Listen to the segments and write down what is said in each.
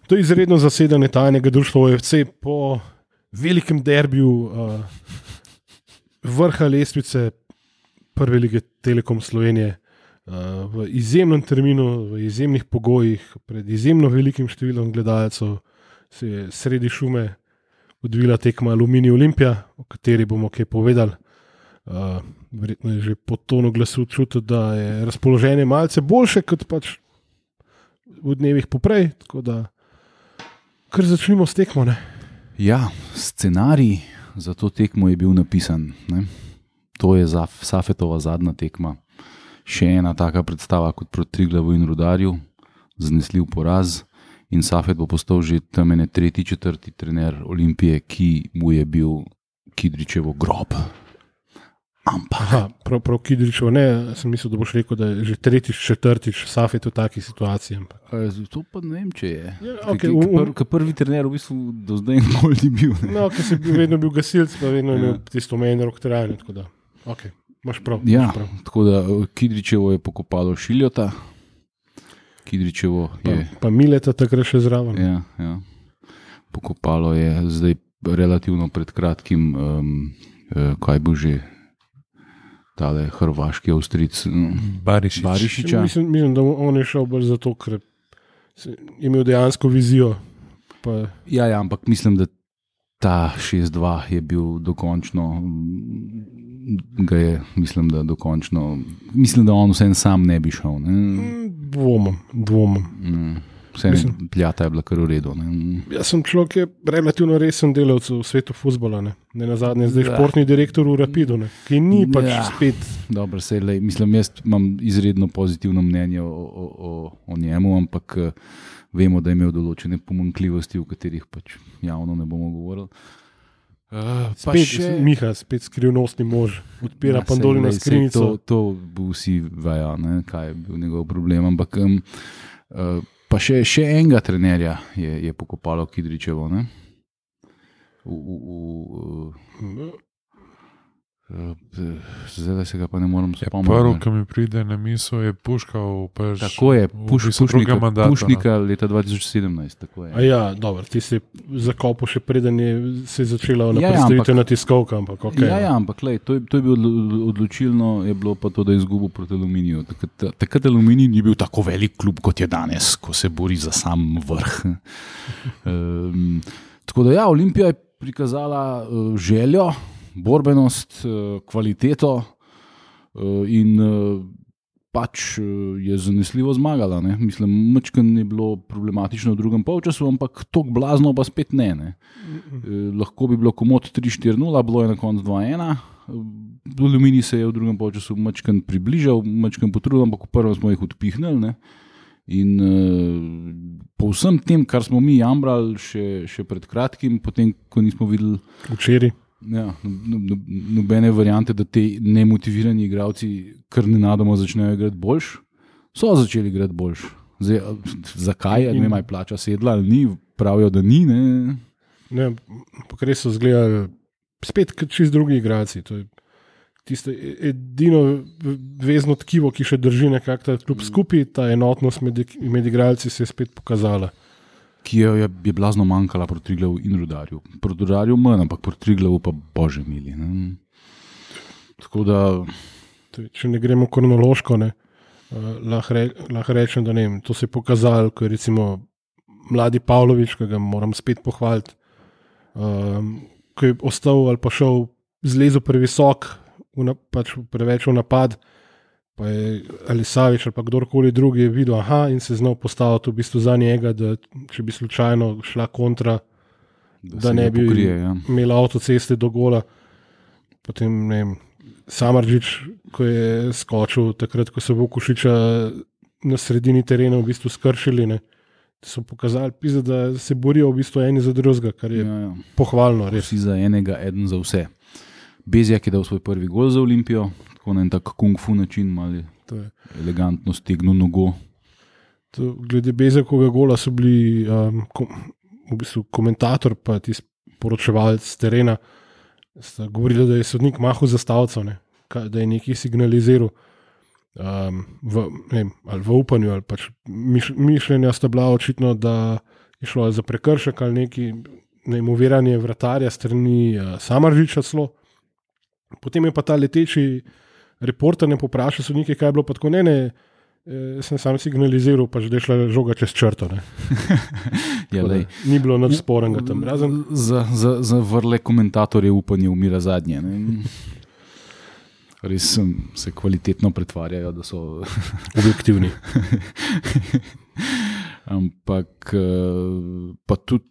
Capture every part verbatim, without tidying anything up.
To je izredno zasedanje tajnega društva O F C po velikem derbiju uh, vrha lestvice prve lige Telekom Slovenije uh, v izjemnem terminu, v izjemnih pogojih, pred izjemno velikim številom gledalcev se je sredi šume odvila tekma Aluminij Olimpija, o kateri bomo kaj povedali. Uh, verjetno je že po tonu glasu čutiti, da je razpoloženje malce boljše kot pač v dnevih poprej, tako da kar začnimo s tekmo, ne? Ja, scenarij za to tekmo je bil napisan, ne? To je za Safetova zadnja tekma. Še ena taka predstava kot proti Triglavu in Rudarju, zanesljiv poraz in Safet bo postal že tam ene tretji, četrti trener Olimpije, ki mu je bil Kidričevo grob. Ampak. Aha, prav, prav Kidričevo, ne, sem mislil, da boš rekel, da je že tretjič, četrtič Safet v taki situaciji. A, to pa ne vem, če je. Ja, okay, k, k, k prvi trener v bistvu do zdaj nikoli ni bil. Ne? No, ker si vedno bil gasilc, pa vedno ja. imel tisto omenjeno rok trajanje, tako da, ok, imaš prav. Ja, imaš prav. Tako da Kidričevo je pokopalo Šiljota, Kidričevo je... Pa, pa Mileta takrat še zraven. Ja, ja. Pokopalo je zdaj relativno pred kratkim, um, uh, kaj bo že tale hrvaški Avstric Barišić. Barišića. Mislim, mislim, da on je šel bolj zato, ker je imel dejansko vizijo. Pa... Ja, ja, ampak mislim, da ta šest dva je bil dokončno, ga je, mislim, da dokončno, mislim, da on vsem sam ne bi šel. Ne? Dvomam, dvomam. Mm. Vse pljata je bila kar v redu. Ne? Jaz sem človek, ki je relativno resen delavec v svetu fuzbola. Ne, ne nazadnje zdaj ja. športni direktor v Rapidu, ne? Ki ni pač ja. spet. Dobro, se lej, mislim, jaz imam izredno pozitivno mnenje o, o, o, o njemu, ampak vemo, da je imel določene pomanjkljivosti, o katerih pač javno ne bomo govorili. Uh, spet še... Miha, spet skrivnostni mož, odpira ja, Pandorino skrinjico. To, to bo vsi vejo, ne, kaj je bil njegov problem, ampak um, uh, pa še, še enega trenerja je, je pokopalo Kidričevo, ne? V, v, v, uh, zdaj se ga pa ne moram spomniti. Prvo, ki mi pride na misel, je Puškal. Tako je, puš, Pušnika, mandata, Pušnika no. leta dva tisoč sedemnajst. Tako je. A ja, dobro, ti si zakopal še preden je se je začela ona ja, predstavitev na tiskovka. Ampak, okay, ja, ja, ampak lej, to, je, to je bilo odločilno, je bilo pa to, da je izgubil proti Aluminiju. Takrat, takrat Aluminij ni bil tako velik klub, kot je danes, ko se bori za sam vrh. um, tako da ja, Olimpija je prikazala uh, željo, borbenost, kvaliteto in pač je zanesljivo zmagala. Ne? Mislim, mačkan je bilo problematično v drugem polčasu, ampak tok blazno pa spet ne. ne? Lahko bi bilo komod tri štiri nula, bilo je na koncu dva ena. Aluminij se je v drugem polčasu mačkan približal, mačkan potrudil, ampak v prvem smo jih odpihnili. Ne? In uh, po vsem tem, kar smo mi jamrali še, še pred kratkim, potem, ko nismo videli včeraj. Ja, no, no, nobene variante, da te nemotivirani igralci kar nenadoma začnejo igrati boljš, so začeli igrati boljš. Zdaj, zakaj? Ne vem, plača sedla ali ni, pravijo, da ni. Ne, ne pa res so zgledali spet čist drugi igralci. To je tisto edino vezno tkivo, ki še drži nekako ta klub skupaj, ta enotnost med, med igralci se je spet pokazala. Ki je, je, je blazno manjkala proti Triglavu in Rudarju. Proti Rudarju manj, ampak proti Triglavu pa bože mili. Ne? Tako da... Če ne gremo kronološko, ne, uh, lahko re, lah rečem, da ne vem, to se je pokazalo, ko je recimo mladi Pavlović, ki ga moram spet pohvaliti, um, ko je ostal ali pa šel zlezel previsok, v na, pač preveč v napad, pa je ali Savić ali pa kdorkoli drugi je videl, aha, in se znal postaviti v bistvu za njega, da če bi slučajno šla kontra, da, da ne bi pokrije, ja. imel avtoceste do gola. Potem, ne vem, Samardžić, ko je skočil takrat, ko so Vukušića na sredini terena v bistvu skršili, ne, so pokazali, pisa, da se borijo v bistvu eni za drugega, kar je ja, ja. pohvalno. Res. Vsi za enega, eden za vse. Bezjak je dal svoj prvi gol za Olimpijo, tako na en tak kung fu način, malo elegantno stegnil nogo. To, glede Bezjakovega gola so bili um, kom, v bistvu komentator pa tisti poročevalec z terena, sta govorili, da je sodnik mahal za stavco, ne, da je nekaj signaliziral um, v, ne vem, ali v upanju, ali pač miš, mišljenja sta bila očitno, da išlo za prekršek ali neki neimoviranje vratarja strani uh, Samaržiča celo. Potem je pa ta leteči reporter ne poprašal sodnike, kaj je bilo, pa tako ne, ne, eh, sem sam signaliziral, pa že da je šla žoga čez črto. Ja, da, ni bilo nič sporenega tam. Razen... Za, za, za vrle komentatorje upanje umira zadnje. Ne? Res se kvalitetno pretvarjajo, da so objektivni. Ampak pa tudi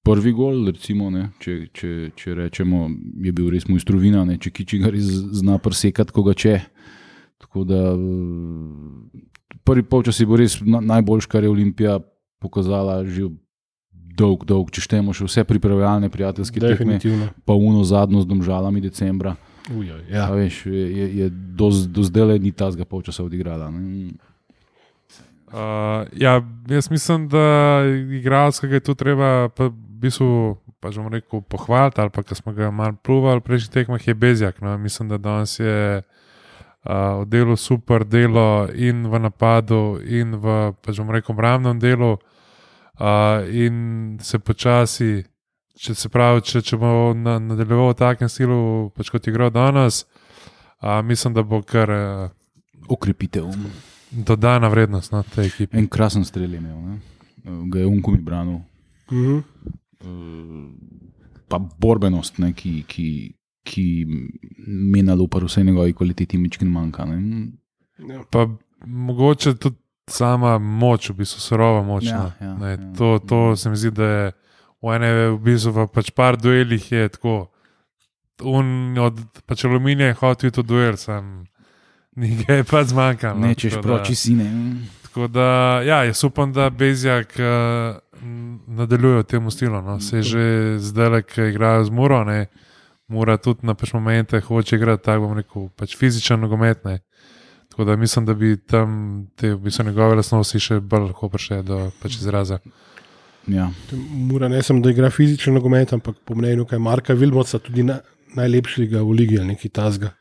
prvi gol, recimo, ne, če, če, če rečemo, je bil res mojstrovina, če Kičigar zna presekati koga če. Tako da prvi polčas je bil res najboljš, kar je Olimpija pokazala že dolg, dolg, če štejemo še vse pripravljalne prijateljske tekme, pa uno zadnjo z Domžalami decembra. Ujoj, ja. A veš, je, je, je do, do zdaj ni tazga polčasa odigrala. Ne? Uh, ja, jaz mislim, da igralskega je tu treba pa v bistvu, pa že bom rekel, pohvaliti, ali pa, ko smo ga malo pluvali v prejšnjih tekmah, je Bezjak. No? Mislim, da danes je uh, oddelal super delo in v napadu, in v, pa že bom rekel, obrambnem delu, uh, in se počasi, če se pravi, če, če bo na, nadaljeval v takem stilu, pač kot je igral danes, uh, mislim, da bo kar uh, okrepitev. Dodana vrednost na tej ekipi. En krasen strel je imel, ne? Ga je Unko mi branil. Mm-hmm. Pa borbenost, ne? ki, ki, ki menalo pa vse njegovi kvaliteti mičkin manjka. Ne? Ja. Pa mogoče tudi sama moč, v bistvu surova moč. Ja, ja, ne, ja. To, to se mi zdi, da je v ene v bistvu v pač par duelih je tako. Un od pač Aluminija je hotel to duel, sem nekaj je pa zmanjkalo. Nečeš proči sine. Tako da, ja, jaz upam, da Bezjak uh, nadaljuje v tem stilu. No. Se že zdaj, ki igrajo z Muro, ne, Mura tudi na pač momente hoče igrati, tako bom rekel, pač fizičen nogomet. Ne. Tako da mislim, da bi tam te v bistvu njegove lastnosti še bolj lahko prišle do pač izraza. Ja. Mura ne sem, da igra fizičen nogomet, ampak po mnenju kaj Marka Vilmoca tudi na, najlepšega v ligi ali nekaj tazga.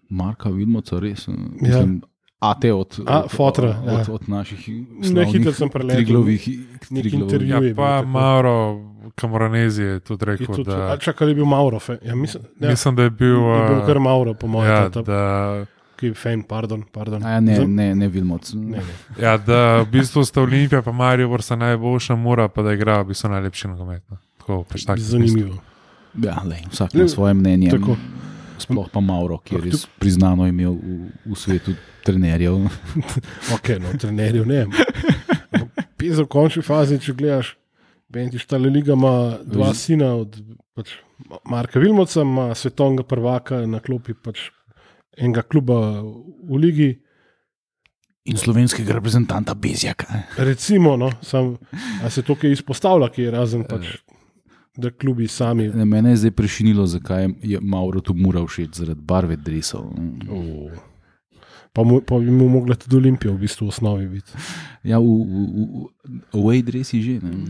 Marka Vilmoca, res. Mislim, ja. A te od, a, od, fotra, od, ja. od, od naših slavnih triglovih intervjujev. Ja, pa Mauro Camoranesi je tudi rekel, je tudi, da... A čakaj, je bil Mauro? Ja, mislim, ja. mislim, da je bil... Je bil kar Mauro, po mojem. Ja, ta, da... Ki je fan, pardon. pardon. A ja, ne, ne, ne Vilmoc. Ne, ne. Ja, da v bistvu sta Olimpija pa Maribor sta najboljša, Mura pa da igra v bistvu najlepši nogomet. Tako, pač tak zanimivo. Ja, lej, vsak ima svoje mnenje. Tako. Sploh pa Mauro, ki je res priznano imel v, v svetu trenerjev. Ok, no, trenerjev ne. Pisa v končni fazi, če gledaš, Bentiš ta Liga ima dva sina od pač, Marka Vilmoca, ima svetovnega prvaka na klopi pač, enega kluba v ligi. In slovenskega reprezentanta Bezjaka. Recimo, no, sam, a se to kaj izpostavlja, ki je razen pač da klubi sami. Mene je zdaj prešinilo, zakaj je Mauro tu Mura všeč, zaradi barve dresov. Oh. Pa, mu, pa bi mu mogla tudi Olimpija v bistvu v osnovi biti. Ja, v, v, v away dresi že. Ne,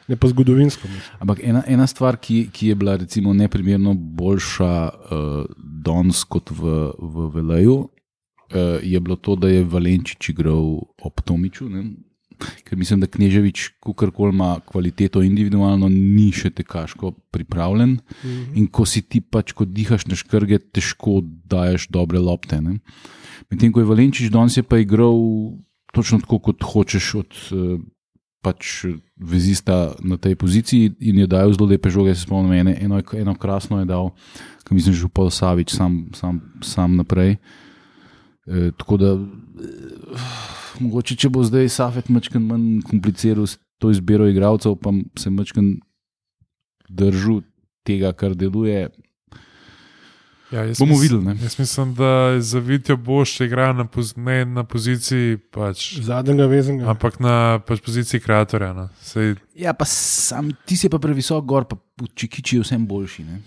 ne pa zgodovinsko. Mislim. Ampak ena, ena stvar, ki, ki je bila recimo neprimerno boljša uh, danes kot v, v Veleju, uh, je bilo to, da je Valenčič igral ob Tomiču, ne? Ker mislim, da Kneževič, kakorkoli ima kvaliteto individualno, ni še tekaško pripravljen. Mm-hmm. In ko si ti pač, ko dihaš na škrge, težko daješ dobre lopte. Ne? Medtem ko je Valenčič danes je pa igral točno tako, kot hočeš od pač vezista na tej poziciji in je dajal zelo lepe žoge, se spomnim, eno, eno, eno krasno je dal, ko mislim, že Župal Savič sam, sam, sam naprej. E, tako da mogoče, če bo zdaj Safet mačken manj kompliciral to izbiro igralcev, pa se mačken držal tega, kar deluje, ja, bomo mis, videli. Ne? Jaz mislim, da je za Vitjo Boš igra na, poz, ne na poziciji pač, zadnjega vezenega, ampak na pač poziciji kreatorja. No. Sej... Ja, pa sam, ti si pa previsok gor, pa Čikiči je vsem boljši. Ne?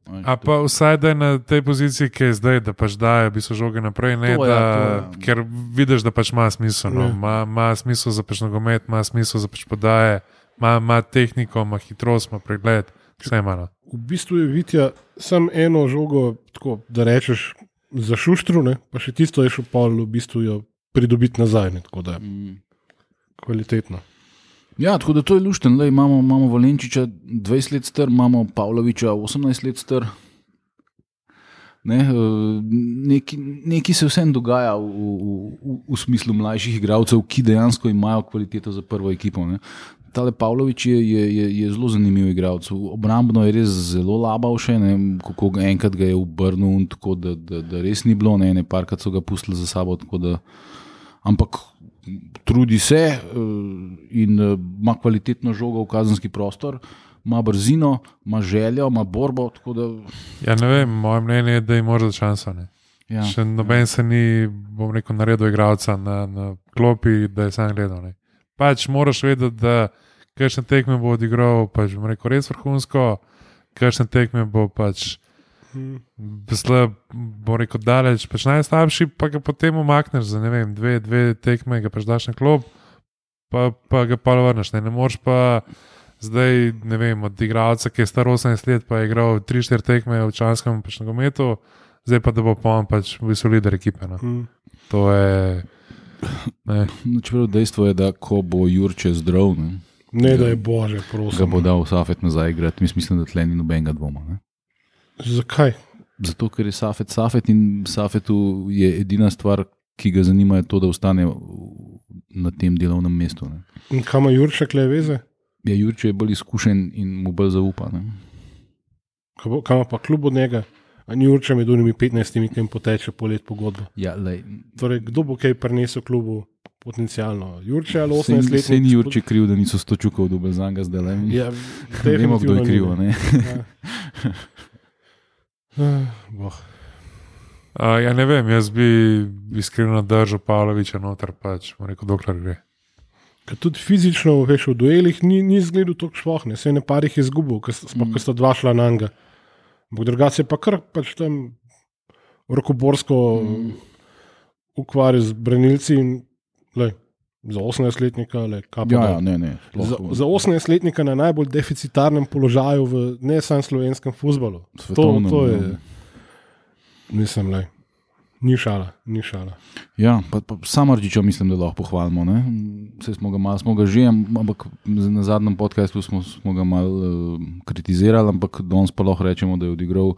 A pa vsaj da je na tej poziciji, ki je zdaj, da pač daje bi so žoge naprej, ne, to, da, ja, to, ker vidiš, da pač ima smisel. No. Ma, ma smisel za pač nogomet, ima smisel za pač podaje, ima, ima tehniko, ima hitrost, ima pregled, vse ima. No. V bistvu je Vitja sam eno žogo, tako, da rečeš, za šuštru, ne? Pa še tisto je šel pol v bistvu jo pridobiti nazaj. Ne? Tako da, mm. kvalitetno. Ja, tako da to je lušten. Lej, imamo, imamo Valenčiča dvajset let star, imamo Pavloviča osemnajst let star. Ne, neki, neki se vsem dogaja v, v, v smislu mlajših igralcev, ki dejansko imajo kvaliteto za prvo ekipo. Ne. Tale Pavlovič je, je, je, je zelo zanimiv igralec. Obrambno je res zelo labal še, ne, kako enkrat ga je obrnil, tako da, da, da res ni bilo, ne, ne parkrat so ga pustili za sabo, tako da, ampak trudi se in ima kvalitetno žogo v kazenski prostor, ima brzino, ima željo, ima borbo, tako da... Ja, ne vem, moje mnenje je, da jim može šanso, ne. Ja, še noben ja. se ni, bom rekel, naredil igralca na, na klopi, da je sam gledal, ne. Pač moraš vedeti, da kakšne tekme bo odigral, pač bom rekel, res vrhunsko, kakšne tekme bo pač slab, bom rekel, daleč, pač najslabši, pa ga potem umakneš za, ne vem, dve, dve tekme, ga pač daš na klop, pa, pa ga pa vrneš, ne, ne moreš pa zdaj, ne vem, od igralca, ki je star osemnajst let, pa je igral tri štiri tekme v članskem pač nogometu, zdaj pa da bo pa on pač v bistvu lider ekipe, no. Hmm. To je... Ne. No, čeprav dejstvo je, da ko bo Jurče zdrav, ne, ne da je bože, prosim. Ga bo dal Safet nazaj igrati. Mislim, da tle ni nobenega dvoma. Ne. Zakaj? Zato, ker je Safet Safet in Safetu je edina stvar, ki ga zanima, je to, da ostane na tem delovnem mestu. Ne. In kam ima Jurče kle veze? Ja, Jurče je bolj izkušen in mu bolj zaupa. Ne. Kam ima pa klub od njega? A ni Jurče med unimi petnajstimi, ki jim poteče po let pogodbo. Ja, lej. Torej, kdo bo kaj prinesel klubu potencialno? Jurče ali osemnajst let? Sej ni Jurče kriv, da niso sto čukov dobil za njega zdaj. Ja, vemo, kdo je kriv, ne? Ja. Boh. Uh, ja, ne vem, jaz bi iskreno držal Pavloviča noter, pač, rekel, dokler gre. Ker tudi fizično, veš, v duelih ni, ni zgledal toliko šlohne, sej ne parih je izgubil, ker mm. sta dva šla na njega. Drugače pa kar pač tam rokoborsko mm. ukvarja z branilci in lej, za osemnajstletnika lej, ja, ja, ne, ne, za, za osemnajstletnika na najbolj deficitarnem položaju v ne samo slovenskem fuzbalu. Svetovnem, to, to je, mislim, lej, ni šala, ni šala. Ja, pa, pa Samardžiča mislim, da lahko pohvalimo, ne? Vse smo ga malo, smo ga že, ampak na zadnjem podcastu smo, smo ga malo uh, kritizirali, ampak danes pa lahko rečemo, da je odigral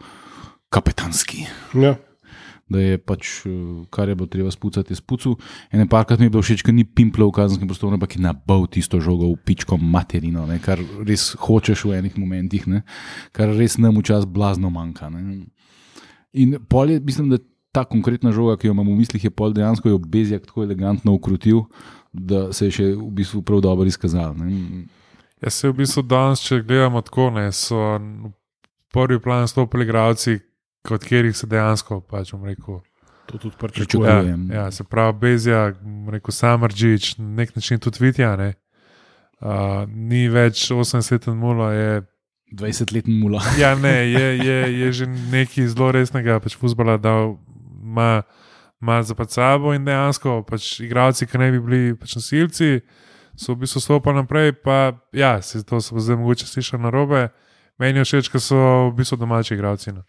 kapetanski. Ja. Da je pač, kar je bilo treba spucati, je spucal. Ene parkrat mi je bilo všeč, ker ni pimplo v kazenskem prostoru, ampak je nabal tisto žogo v pičko materino, ne? Kar res hočeš v enih momentih, ne? Kar res nam včasih blazno manjka. Ne? In pol je, mislim, da ta konkretna žoga, ki jo imam v mislih, je pol dejansko je Bezjak tako elegantno ukrutil, da se je še v bistvu prav dobro izkazal. Ne? Ja, se v bistvu danes, če gledamo tako, ne, so v prvi plan stopili igralci, od katerih se dejansko, pač bom rekel, to tudi pričakujem. Ja, ja, se pravi Bezjak, bom rekel Samardžič, na nek način tudi Vitja, ne. Uh, ni več osemdesetletni Mulo, je dvajsetletni Mulo. Ja, ne, je, je, je že nekaj zelo resnega pač fuzbala dal, ima malo za pred sabo in dejansko pač igralci, ki ne bi bili pač nasilci, so v bistvu stopali naprej, pa ja, se to so zdaj mogoče slišali na robe, meni je všeč, ker so v bistvu domači igralci. No.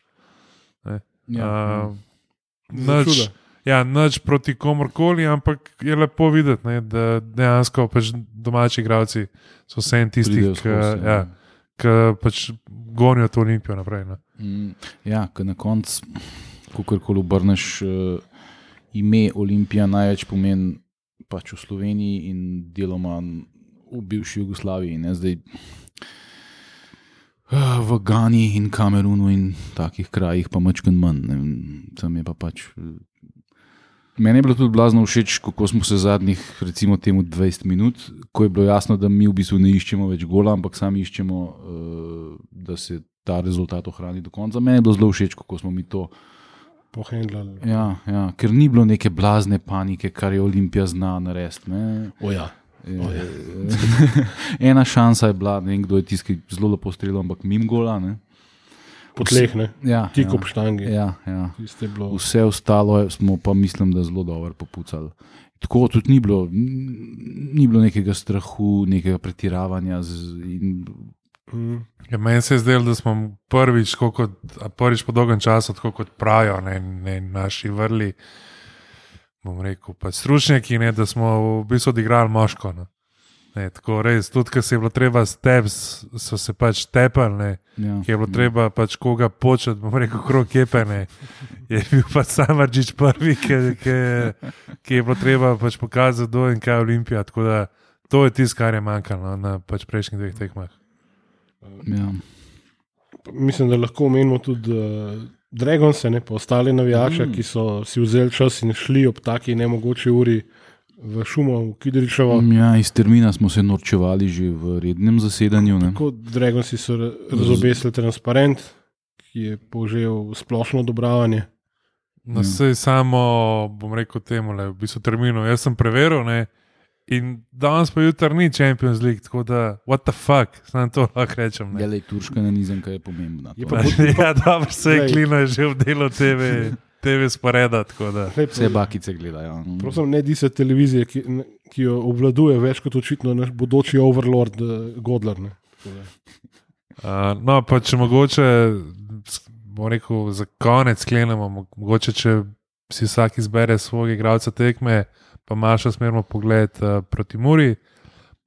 Ja, uh, nič, ja, nič proti komorkoli, ampak je lepo videti, ne, da dejansko pač domači igralci so vse en tisti, ki ja, pač gonijo to Olimpijo naprej. No. Mm, ja, ker na koncu kakorkoli obrneš, uh, ime Olimpija največ pomeni pač v Sloveniji in deloma v bivši Jugoslaviji. Ne? Zdaj uh, v Gani in Kamerunu in takih krajih pa mačken manj. Ne? Tam je pa pač... Meni je bilo tudi blazno všeč, kako smo se zadnjih, recimo temu dvajset minut, ko je bilo jasno, da mi v bistvu ne iščemo več gola, ampak sami iščemo, uh, da se ta rezultat ohrani do konca. Meni je bilo zelo všeč, kako smo mi to pohendlali. Ja, ja, ker ni bilo neke blazne panike, kar je Olimpija zna narediti. O ja. O ja. Ena šansa je bila, ne vem, kdo je tisti, ki zelo lepo streljal, ampak mimo gola. Ne? Po tleh, ne? Ja, Tik ja, ob štangi. Ja, ja. Bilo... Vse ostalo smo pa, mislim, da zelo dobro popucali. Tako tudi ni bilo, ni bilo nekega strahu, nekega pretiravanja. Z, in... mm. ja, meni se je zdelo, da smo prvič, kot, prvič po dolgem času, tako kot pravijo, ne, ne naši vrli, bom rekel, pa stručnjaki, ne, da smo v bistvu odigrali moško. Ne. Ne, tako res, tudi ko se je bilo treba steps, so se pač tepali, Ja. ki je bilo treba pač koga početi, bom rekel, krog kepe, ne. Je bil pač Samardžić prvi, ki, ki, ki je bilo treba pač pokazati do in kaj je Olimpija, tako da to je tisto, kar je manjkalo no, na pač prejšnjih dveh tekmah. Ja. Mislim, da lahko omenimo tudi uh, Dragonse, ne, pa ostale navijače, mm. ki so si vzeli čas in šli ob taki nemogoči uri v šumo, v Kidričevo. Ja, iz termina smo se norčevali že v rednem zasedanju. Ne? Tako Dragonsi so razobesili transparent, ki je požel splošno odobravanje. No, sej samo, bom rekel temu, le, v bistvu terminu, jaz sem preveril, ne, in danes pa jutri ni Champions League, tako da, what the fuck, samo to lahko rečem. Ne. Ja, lej, turška nanizemka je pomembna. Je To. pa- Ja, dobro, se je Klino je že v delu T V, T V sporeda, tako da. Lej, Vse bakice gledajo. Prosim, ne disa televizije, ki, ki jo obvladuje več kot očitno naš bodoči overlord uh, Godler. Ne. Tako da. Uh, no, pa če mogoče, bom rekel, za konec sklenemo, mo- mogoče, če si vsak izbere svojega igralca tekme, pa Maša smerimo pogled uh, proti Muri,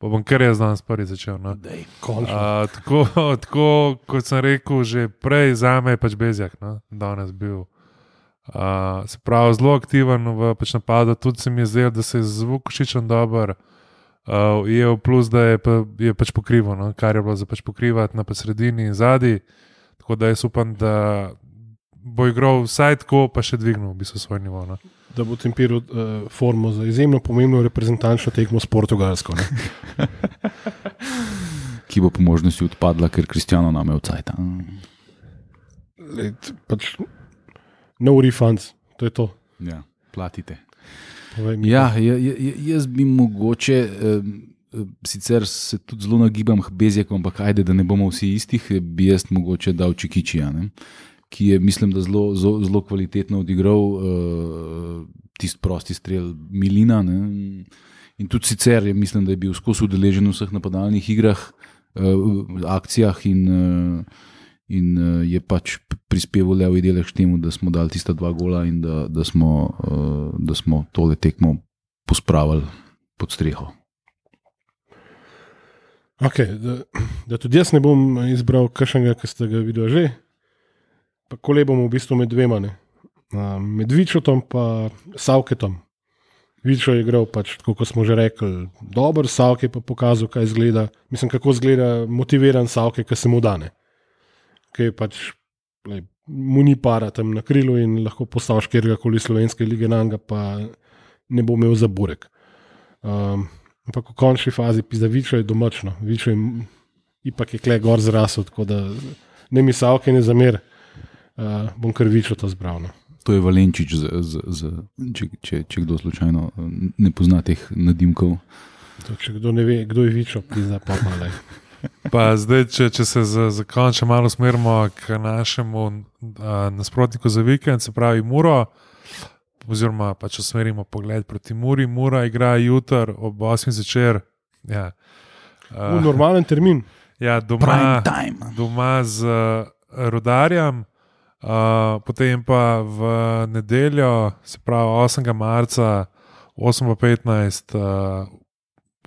pa bom kar jaz danes prvi začel. No. Dej. Končno. Uh, tako, tako, kot sem rekel, že prej za me je pač Bezjak, no, danes bil. Uh, se pravi, zelo aktiven v pač napadu, tudi se mi je zdelo, da se je z Vukošičem dober. Uh, je plus, da je, pa, je pač pokrival, no, kar je bilo za pač pokrivati na sredini in zadnji. Tako da jaz upam, da bo igral vsaj tako, pa še dvignil v bistvu svoj nivo. No. Da bo tempiral uh, formo za izjemno pomembno reprezentančno tekmo s Portugalsko. Ne. Ki bo po možnosti odpadla, ker Kristjano nam je odcajta. Lej, pač, no refunds, to je to. Ja, platite. Povej mi. Ja, ja, ja, jaz bi mogoče, eh, sicer se tudi zelo nagibam k Bezjaku, ampak ajde, da ne bomo vsi istih, bi jaz mogoče dal Čikičija, ne? Ki je, mislim, da zelo, zelo, zelo kvalitetno odigral eh, tisti prosti strel Milina. Ne? In tudi sicer je, mislim, da je bil skozi udeležen v vseh napadalnih igrah, eh, akcijah in, eh, in eh, je pač prispeval levi delež k temu, da smo dali tista dva gola in da, da, smo, uh, da smo tole tekmo pospravili pod streho. Okay, da, da tudi jaz ne bom izbral kakšnega, ki ste ga videli že. Pa kole bomo v bistvu med dvema. Ne. Med Vičotom pa Savketom. Vičo je igral, pač, tako kot smo že rekli, dober, Savke pa pokazal, kaj izgleda. Mislim, kako izgleda motiviran Savke, ki se mu dane. Ki je pač lej, mu ni para tam na krilu in lahko postaviš kjerkoli slovenske lige nanga, pa ne bo imel za burek. Um, ampak v končni fazi pizda Vičo je domačno. Vičo je ipak je kle gor zrasel, tako da ne mi Savke ne zamer, uh, bom kar Vičo to zbral. No. To je Valenčič, z, z, z, če, če, če kdo slučajno ne pozna teh nadimkov. To, če kdo ne ve, kdo je Vičo, pizda pa malej. Pa zdaj, če, če se za, za končno malo smerimo k našemu a, nasprotniku za vikend, se pravi Muro, oziroma pa če smerimo pogled proti Muri, Mura igra jutr ob osmih zvečer. Ja. A, V normalen termin. ja, doma, doma z uh, Rudarjem, uh, potem pa v nedeljo, se pravi osmega marca, osem petnajst, uh,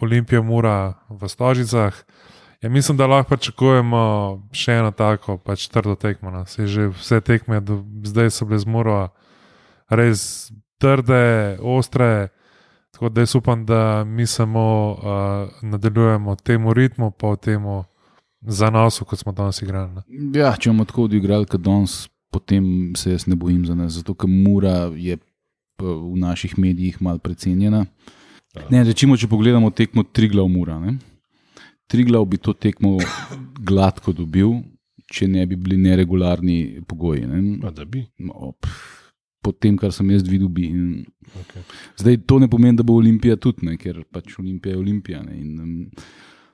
Olimpija Mura v Stožicah. Ja, mislim, da lahko pričakujemo še eno tako pač trdo tekmo. No. Že vse tekme do zdaj so bile z Muro res trde, ostre, tako da jaz upam, da mi samo uh, nadaljujemo temu ritmu, pa v temu zanosu, kot smo danes igrali. Ne. Ja, če bomo tako odigrali, kot danes, potem se jaz ne bojim za nas, zato ker Mura je v naših medijih malo precenjena. Ne, rečimo, če pogledamo tekmo Triglav Mura, ne? Triglav bi to tekmo gladko dobil, če ne bi bili neregularni pogoji. Ne? A da bi. No, po tem, kar sem jaz videl, bi. In Okay. zdaj to ne pomeni, da bo Olimpija tudi, ne? Ker pač Olimpija je Olimpija. Ne? In, um,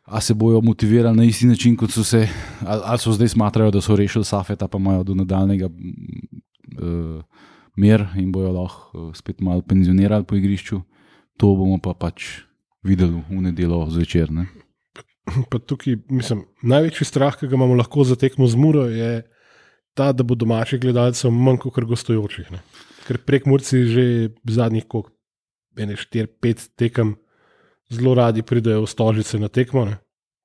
a se bojo motivirali na isti način, kot so se, ali, ali so zdaj smatrajo, da so rešili Safeta, pa imajo do nadaljnega uh, mer in bojo lahko uh, spet malo penzionirali po igrišču. To bomo pa pač videli v nedeljo zvečer. Ne? Pa tukaj, mislim, največji strah, ki ga imamo lahko za tekmo z Muro, je ta, da bo domačih gledalcev manj kot gostujočih. Ne. Ker prek Murci že zadnjih štiri pet tekem zelo radi pridejo v Stožice na tekmo. Ne.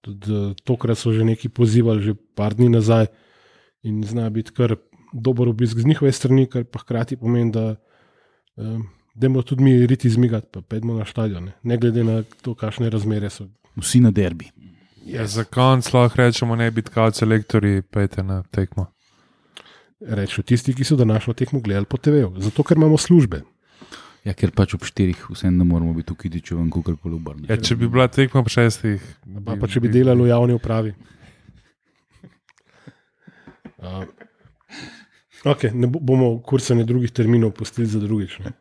Tudi tokrat so že neki pozivali, že par dni nazaj in zna biti kar dober obisk z njihove strani, kar pa hkrati pomeni, da um, dajmo tudi mi riti izmigati, pa pojdimo na štadion, ne. ne glede na to, kakšne razmere so. Vsi na derbi. Ja, za konc lahko rečemo, ne biti kao selektorji, pejte na tekmo. Rečo tisti, ki so današnjo tekmo gledali po te veju, zato ker imamo službe. Ja, ker pač ob štirih vsem ne moramo biti v Kidriču in kakorkoli obrniti. Ja, če bi bila tekma ob šestih. Pa, pa če bi delali v javni upravi. Uh, ok, ne bomo kursanje drugih terminov pustili za drugič. Ne?